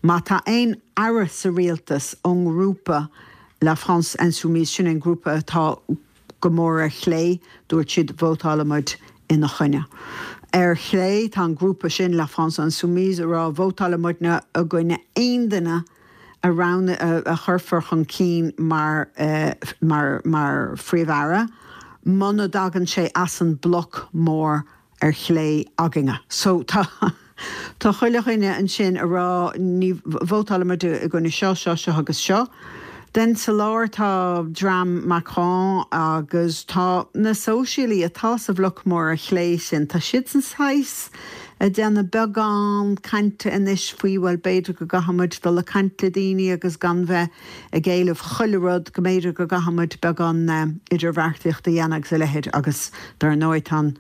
Má tá aon aire sa rialtas ón ngrúpa La France Insoumise, sin an grúpa atá go mór ar chlé, dúirt siad, vótálfaidh muid ina choinne. Ar chlé, tá an grúpa sin, La France Insoumise, ag rá, vótálfaidh muidne i gcoinne aon duine a roghnú, a chuirfear chun cinn mar, mar, mar Phríomh-Aire muna dtagann sé as an mbloc mór ar chlé againne. So tá, tá chuile dhuine ansin a rá ní, vótálfaidh muid i gcoinne seo, seo, seo agus seo. Then sa lár tá dream Macron agus tá na sóisialaí atá sa bhloc mór ar chlé sin, tá siadsan saghas. ag déanamh beagán cainte anois faoi, bhuel, b'fhéidir go gcaithfidh muid dul ag caint le daoine agus gan bheith ag éileamh chuile rud, go mb'fhéidir go gcaithfidh muid beagán idirbheartaíochta a dhéanamh agus a leithéid agus dar ndóigh tá an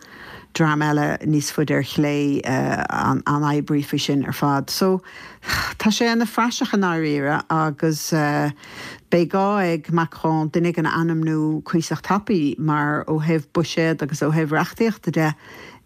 dream eile níos faide ar chlé an-oibrithe faoi sin ar fad. So, tá sé ina phraiseach i ndáiríre agus beidh gá ag Macron duine éigin a ainmniú cuíosach tapaidh mar ó thaobh buiséad agus ó thaobh reachtaíochta de,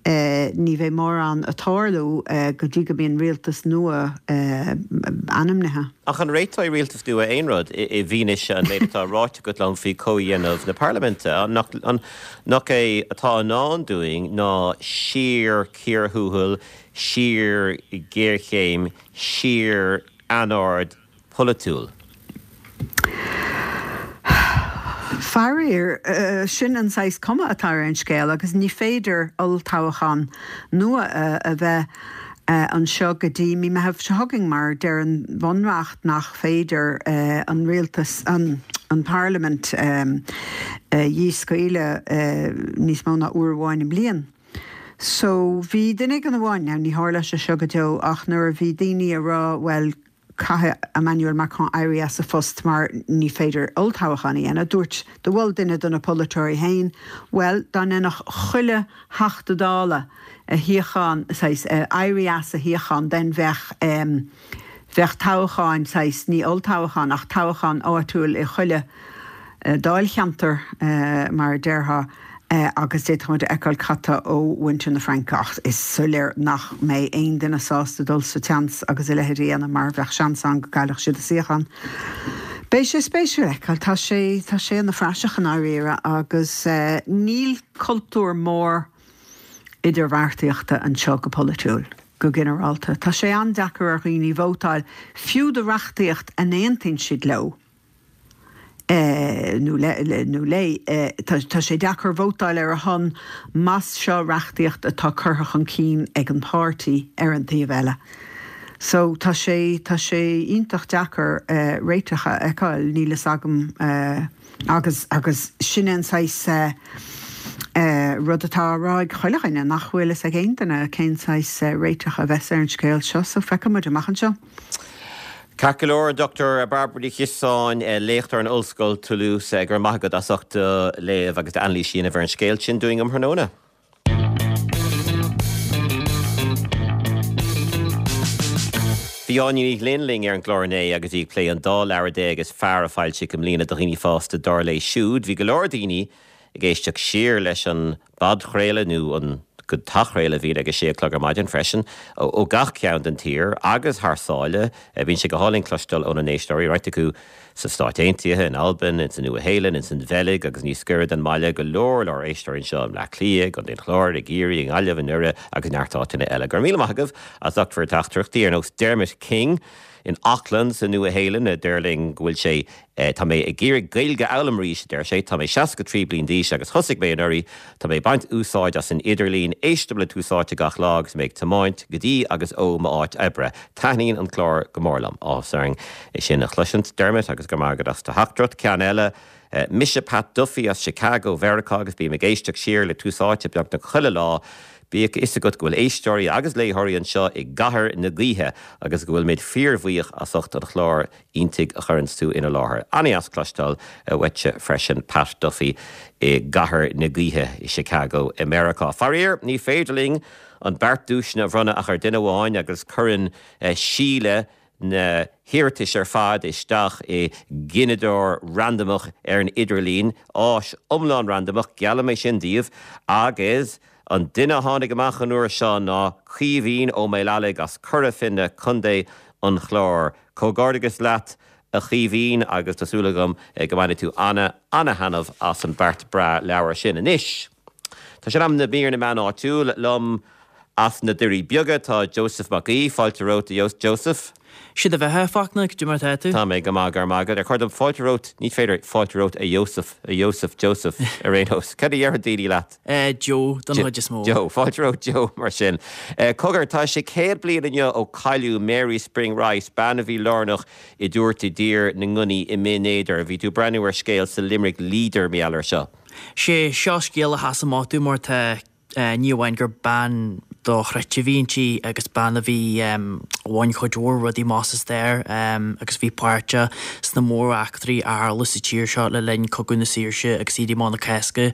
Ní bheidh mórán ag tarlú go dtí go mbíonn rialtas nua ainmnithe. Ach an réiteoidh rialtas nua aon rud, i bhfianaise an méid atá ráite agat liom faoi chomhdhéanamh na parlaiminte? Nach é atá i ndán dúinn ná síor-chíor thuathail, síor-ghéarchéim, síor-anord polaitiúil. Faraor, sin an saghas cuma atá ar an scéal agus ní féidir olltoghchán nua a bheith anseo go dtí mí Meitheamh seo chugainn mar deir an Bhunreacht nach féidir an rialtas, an Parlaimint a dhíscaoileadh níos mó ná uair amháin i mbliain. So bhí duine éigin amháin, now ní tharlóidh sé seo go deo ach nuair a bhí daoine a rá bhuel caithfidh Emmanuel Macron éirí as a phost mar ní féidir olltoghchán a dhéanamh. Dúirt, do mhol duine de na polaiteoirí féin, bhuel, dá ndéanfadh chuile Theachta Dála a shuíochán, saghas, éirí as a shuíochán, then bheadh, bheadh toghcháin, saghas, ní olltoghchán ach toghchán áitiúil i chuile dáilcheantar, mar a déarfá. Agus d'fhéadfadh muid a fheiceáil cad tá ó mhuintir na Fraince ach is soiléir nach mbeidh aon duine sásta dul sa tseans agus a leithéid a dhéanamh mar bheadh seans ann go gcaillfeadh siad a suíochán. Beidh sé spéisiúil a fheiceáil. Tá sé, tá sé ina phraiseach i ndáiríre agus níl cultúr mór idirbheartaíochta anseo go polaitiúil go ginearálta. Tá sé an-deacair ar dhaoine vótáil, fiú do reachtaíocht a n-aontaíonn siad leo. nó nó léi. Tá sé deacair vótáil ar a shon más seo reachtaíocht atá curtha chun cinn ag an páirtí ar an taobh eile. So tá sé tá sé iontach deacair réiteach a fheiceáil, níl fhios agam agus agus sin é an saghas rud atá á rá ag chuile dhuine, nach bhfuil fhios ag aon duine cén saghas réiteach a bheas ar an scéal seo so feicfidh muid amach anseo. Ceart go leor, Dr Bairbre Ní Chiosáin, léachtóir in Ollscoil Toulouse, go raibh maith agat as ucht do léamh agus d'anailís a dhéanamh ar an scéal sin dúinn um thráthnóna. Bhí Áine Ní Ghlinn linn ar an gclár inné agus í ag plé an dá leabhar déag is fearr a foilsíodh i mbliana do dhaoine fásta dar léi siúd. Bhí go leor daoine ag éisteacht siar leis an bpodchraoladh nó an t-athchraoladh a bhíonn ag a sé a chlog ar maidin freisin, ó gach cearn den tír agus thar sáile. Bíonn sé go hálainn cloisteáil óna n-éisteoirí, roinnt acu sna Stáit Aontaithe, in Albain, ins an Nua-Shéalainn, ins an Bheilg agus níos gaire don mbaile, go leor leor éisteoirí anseo i mBleá Cliath, i gContae an Chláir, i gCiarraí, i nGaillimh, i nDoire agus neart áiteanna eile. Go raibh míle maith agaibh as ucht bhur dteachtaireachtaí, ar nós Dermot King in Auckland sa Nua-Shéalainn a deir linn go bhfuil sé Tá mé ag iarraidh Gaeilge a fhoghlaim arís, a deir sé. Tá mé 63 bliain d'aois agus thosaigh mé anuraidh. Tá mé ag baint úsáid as an idirlíon. Éistim le Tús Áite gach lá agus mé ag tiomáint go dtí agus ó m'áit oibre. Taitníonn an clár go mór liom. Áthas orainn é sin a chloisint, Dermot, agus go raibh maith agat as do theachtaireacht. Ceann eile, Mise Pat Duffy as Chicago, Mheiriceá agus bím ag éisteacht siar le Tús Áite beagnach chuile lá. Bíodh a fhios agat go bhfuil éisteoirí agus léitheoirí anseo i gcathair na gaoithe agus go bhfuilimid fíorbhuíoch as ucht an chláir iontaigh a chuireanns tú ina láthair. An-dheas cloisteáil uaitse freisin Pat Duffy i gcathair na gaoithe i Chicago i Meiriceá. Faraor, ní féidir linn an beart duaiseanna a bhronnadh ach ar duine amháin agus cuireann Síle na hiarratais ar fad isteach i gcineadóir randamach ar an idirlíon, áis iomlán randamach, geallaim é sin daoibh, agus an duine a tháinig amach an uair seo ná Caoimhín Ó Maolalaighigh as Cora Finne, Contae an Chláir. Comhghairdeachas leat a Chaoimhín agus tá súil agam go mbainfidh tú ana, ana-thaitneamh as an beart breá leabhar sin. Anois, tá sé in am do mhír na meán áitiúil. Liom as na Doirí Beaga tá Joseph Mac Aoidh. Fáilte romhat a Joseph. Sé do bheatha, a Fachtna, cad é mar atá tú? Tá mé go maith, go raibh maith agat. Ar chóir dom fáilte romhat, ní féidir fáilte romhat a Joseph, a Joseph, Joseph, ar aon nós. Cad a dhéarfadh daoine leat? Joe, don chuid is mó. Joe, fáilte romhat Joe, mar sin. Cogar, tá sé 100 bliain inniu ó cailleadh Mary Spring Rice, bean a bhí lárnach i dtabhairt i dtír na ngunnaí i mBinn Éadair. Bhí tú ag breathnú ar scéal sa Limerick Leader mar gheall air seo. Sé seo scéal a sheas amach domh mar tá, ní amháin gur bean. dochreidte a bhí inti agus bean a bhí, a bhain cuid mhór rudaí amach sa stair agus bhí páirteach sna móreachtraí a tharla sa tír seo le linn Cogadh na Saoirse agus Éirí Amach na Cásca.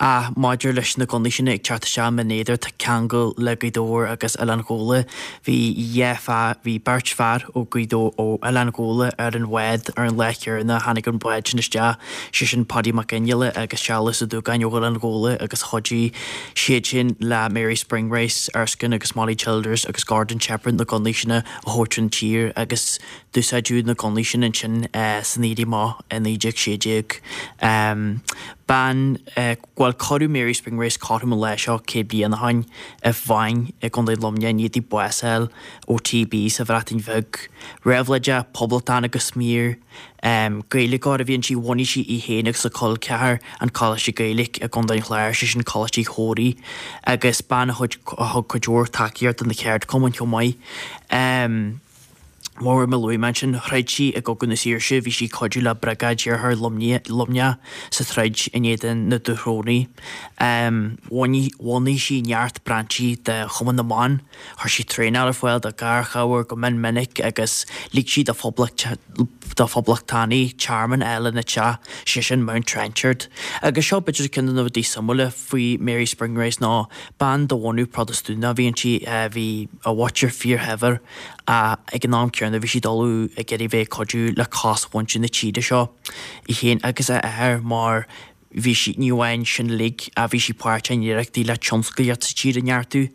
Ach maidir leis na gunnaí sin ag teacht isteach i mBinn Éadair tá ceangal le Gaoth Dobhair agus Oileán Ghabhla. Bhí dhá fear, bhí beirt fear ó Gaoth Dobhair, ó Oileán Ghabhla ar an bhád ar an lá céanna a tháinig an bád sin isteach, sé sin Paddy Mac Fhionnghaile agus Searlas Ó Dúgáin ó Oileán Ghabhla agus chuidigh siad sin le Mary Spring Rice, Erskine agus Molly Childers agus Gordon Shepherd na gunnaí sin a thabhairt chun tír agus d'úsáideadh na gunnaí sin ansin san Éirí Amach i 1916. Bean, bhuel cuireadh Mary Spring Rice cothrom an lae seo 100 bliain ó shin i Faing i gContae Luimnigh i ndiaidh di bás a fháil ó TB sa Bhreatain Bheag. Réabhlóideach, poblachtánach go smior. Gaeilgeoir a bhí inti, bhunaigh sí í féin agus a col ceathar an Coláiste Gaeilge i gContae an Chláir, sé sin Coláiste Uí Chomhraí, agus bean a thug cuid mhór tacaíocht do na ceardchumainn chomh maith. Mar a luaigh mé ansin, throid sí i gCogadh na Saoirse, bhí sí ag cuidiú le Briogáid Iarthar Luimneach sa troid in éadan na Dúchrónaigh. Bhunaigh sí neart brainsí de Chumann na mBan. Chuir sí traenáil ar fáil do gharchabhair go mion minic agus lig sí do phoblachtánaigh tearmann a fháil ina teach, sé sin Mount Trenchard. Agus seo b'fhéidir ceann de na rudaí suimiúla faoi Mary Spring Rice ná bean de bhunadh Protastúnach a bhí inti, bhí a mhuintir fíorshaibhir ach ag an am céanna bhí sí ag dul ag iarraidh bheith ag cuidiú le cosmhuintir na tíre seo, í féin agus a athair mar Bhí sí, ní amháin sin uilig, ach bhí sí páirteach in iarrachtaí le tionsclaíocht sa tír a neartú.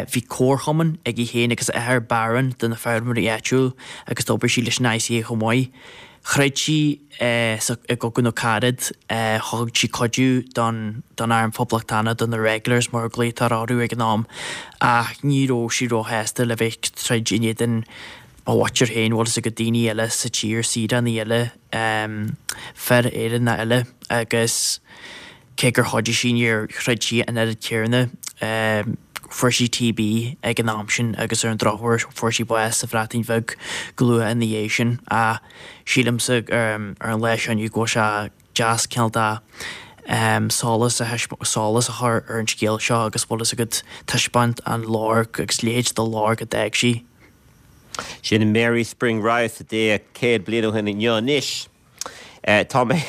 Bhí comharchumann ag í féin agus a athair, Barron, do na feirmeoirí áitiúil agus d'oibrigh sí leis an ICA chomh maith. Throid sí sa i gCogadh na Carad, thug sí cuidiú don don arm phoblachtánach, do na Regulars mar a glaotar orthu ag an am, ach ní raibh sí róshásta le bheith ag troid in éadan a mhuintir féin, bhfuil fhios agat, daoine eile sa tír, saoránaigh eile, fir Éireannacha eile agus cé gur chuidigh sí níor throid sí an oiread céanna. Fuair sí TB ag an am sin agus ar an drochuair fuair sí bás sa Bhreatain Bheag go luath ina dhiaidh sin. Ach sílimse ar an lá seo inniu go bhfuil sé deas cineál de solas a solas a chur ar an scéal seo agus bhfuil fhios agat taispeáint an lorg agus leithéid de lorg a d'fhág sí. Sin Mary Spring Rice a d'éag 100 bliain ó shin inniu anois. Tá mé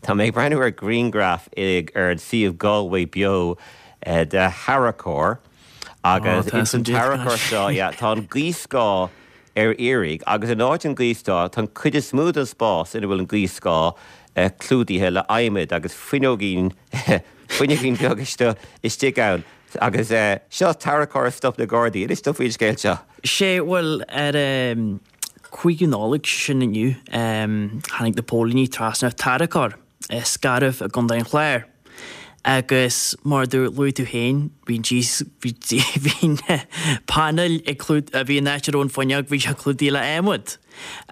tá mé ag breathnú ar ghrianghraf ar an suíomh Galway Beo de tharracóir agus ins an tarracóir seo yeah tá an gaothscáth ar iarraidh agus in áit an gaothscáth tá an cuid is mó den spás ina bhfuil an gaothscáth clúdaithe le adhmad agus fuinneoigín fuinneoigín beag istigh ann. Agus seo tarracóir a stop na Gardaí. Inis dom faoin scéal seo. Sé, bhuel, ar an 5ú Nollaig, sin inniu, tháinig na póilíní trasna ar tarracóir i Scairbh i gContae an Chláir. Agus mar a luaigh tú féin, bhí an bhí bhí na painéil ag clúd, bhí an áit a raibh an fuinneog, bhí sé clúdaithe le adhmad.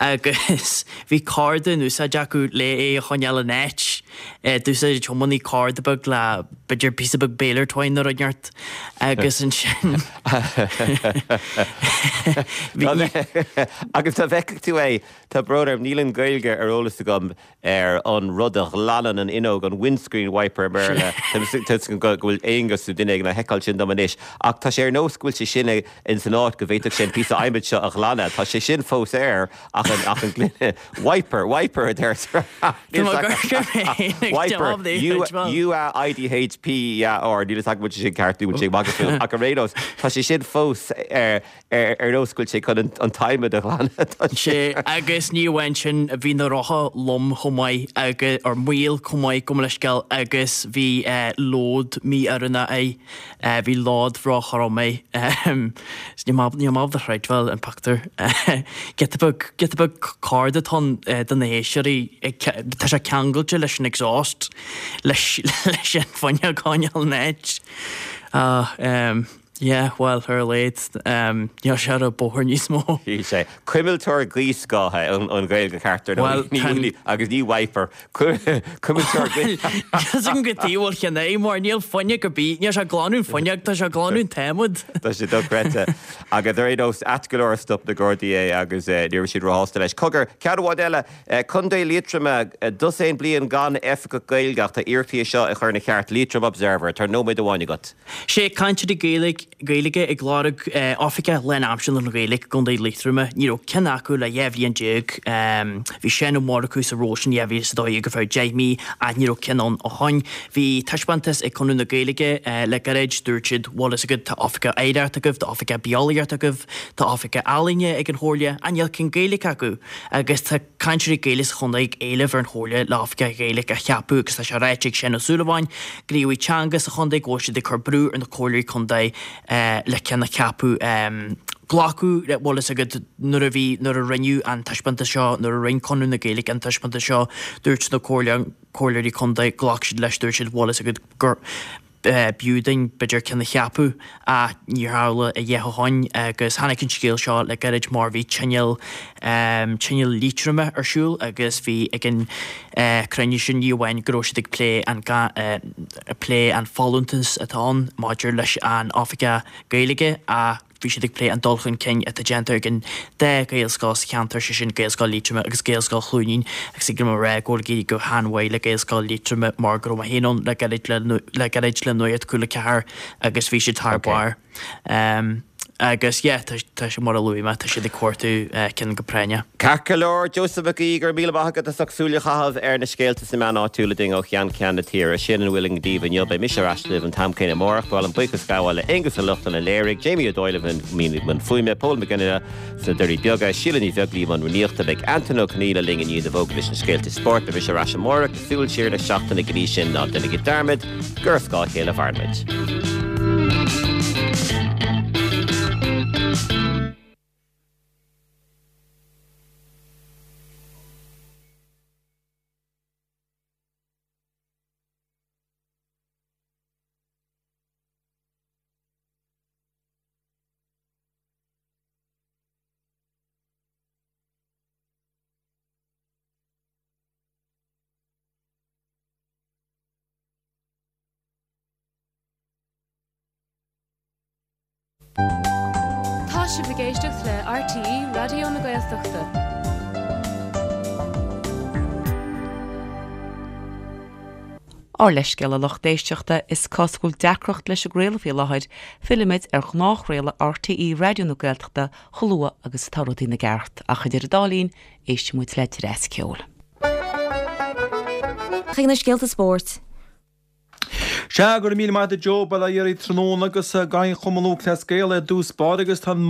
Agus bhí corda in úsáid acu le é a choinneáil in áit. D'úsáid an tiománaí corda beag le, b'fhéidir, píosa beag baler twine nó rud inteacht. Agus ansin bhí. Agus dá bhfeicfeadh tú é, tá brón orm, níl an Ghaeilge ar eolas agam ar an rud a ghlanann an fhuinneog, an windscreen wiper i mBéarla, tá 'fhios agam go bhfuil Aonghus nó duine éigin á sheiceáil sin dom anois, ach tá sé ar nós go bhfuil sé sin ins an áit go bhféadfadh sé an píosa adhmaid seo a ghlanadh. Tá sé sin fós air ach an ach an gloine, wiper, wiper a deirtear. Wiper, U A I D H P E A R, níl 'fhios agam an bhfuil sé sin ceart nó an bhfuil sé ag magadh fúm, ach ar aon nós, tá sé sin fós ar. Ar nós go bhfuil sé chun an t-adhmad a ghlanadh. Tá sé. Agus ní amháin sin, bhí na rotha lom chomh maith agus, or maol chomh maith, gabh mo leithscéal, agus bhí lód mí-oiriúnach air, bhí lód ró-throm air. Níl mé níl mé ábalta a chreidbheáil an pictiúr. Giota beag, giota beag corda atá ann do na héisteoirí, tá sé ceangailte leis an exhaust, leis leis an fuinneog a choinneáil in áit. Ah, Yeah, bhuel, ar a laghad, níl sé ar an bóthar níos mó. Níl sé. Cuimilteoir gaothscátha an Ghaeilge cheart ar ndóigh, agus ní wiper. Cuimilteoir gaoth. Níl agam cad chuige a bhfuil cheann é, mar níl fuinneog ar bith, níl sé ag glanadh an fuinneog, tá sé ag glanadh an t-adhmad. Tá sé dochreidte. Agus ar aon nós, ait go leor stop na Gardaí é agus ní raibh siad róshásta leis. Cogar, ceann amháin eile, Contae Liatroma, dosaen bliain gan oifigeach Gaeilge ach tá iarrachtaí é seo a chur ina cheart. Leitrim Observer, tá nóiméad amháin agat. Sé cainteoirí Gaeilge. Gaeilge ag lorg oifigeach lánaimseartha don Ghaeilge i gContae Liatroma. Ní raibh ceann acu le 12 bhliain. Bhí Seán Ó Murchú sa ról sin 2012 ar feadh 10 mí ach ní raibh ceann ann ó shoin. Bhí taispeántas ag Conradh na Gaeilge le gairid. Dúirt siad, bhfuil fhios agat, tá oifigeach oidhreachta agaibh, tá oifigeach beolaíochta agaibh, tá oifigeach ealaíne ag an Chomhairle ach níl ceann Gaeilge acu. Agus tá cainteoirí Gaeilge sa chontae ag éileamh ar an Chomhairle le oifigeach Gaeilge a cheapadh agus tá sé ráite ag Seán Ó Súilleabháin, gníomhaí teanga sa chontae, go bhfuil siad ag cur brú ar na comhairleoirí contae le ceann a cheapadh. Glacadh le, bhfuil fhios agat, nuair a bhí, nuair a rinneadh an taispeántas seo, nuair a rinne Conradh na Gaeilge an taispeántas seo, dúirt na comhairleoirí contae, ghlac siad leis, dúirt siad, bhfuil fhios agat, gur b'fhiú dúinn b'fhéidir ceann a cheapadh ach níor tharla a dhath ó shoin agus tháinig an scéal seo le gairid mar bhí tionól tionól Liatroma ar siúl agus bhí ag an cruinniú sin ní amháin go raibh siad ag plé an plé an folúntas atá ann maidir leis an oifigeach Gaeilge ach Bhí siad ag plé an dul chun cinn atá déanta ag an dá Ghaelscoil sa cheantar, sé sin Gaelscoil Liatroma agus Gaelscoil Chluainín agus ag liom a rá go bhfuil ag éirí go han-mhaith le Gaelscoil Liatroma mar go raibh mé féin ann le gairid le gairid le Nuacht Cúla 4 agus bhí siad thar barr. Agus yeah, tá tá sé mar a luaigh mé, tá siad ag cuartú ceann go práinneach. Ceart go leor, Joseph Mac Aoidh, go raibh míle maith agat as ucht súil a chaitheamh ar na scéalta sna meáin áitiúla dúinn ó cheann ceann na tíre. Sin a bhfuil againn daoibh inniu. Beidh mise ar ais libh an t-am céanna amárach. Ba mhaith liom buíochas a ghabháil le Aonghus Ó Lochlainn a léirigh, Jamie Ó Dóill i mbun fuaime, Pól Mac Fhionnaile sna Doirí Beaga, Síle Ní Bheaglaoí i mbun rúnaíochta. Beidh Antain Ó Conghaile linn i ndiaidh na bhfógraí leis na scéalta spóirt. Beidh mise ar ais amárach le súil siar ar an seachtain go dtí sin ná déanaigí dearmad gur ar scáth a chéile a mhaireann muid. Tá sibh ag éisteacht le RTÉ Raidió na Gaeltachta. Ár leithscéal a lucht éisteachta, is cosúil go bhfuil deacracht leis an gcraoladh faoi láthair, fillfimid ar ghnáthchraoladh RTÉ Raidió na Gaeltachta chomh luath agus atá rudaí ina gceart, ach idir an dá linn, éistfidh muid le dreas ceoil. Chuig na scéalta spóirt. Sea, go raibh míle maith agat a Joe, bail ó Dhia oraibh tráthnóna agus gabhann Cumann Lúthchleas Gael ar dtús báire agus tá an.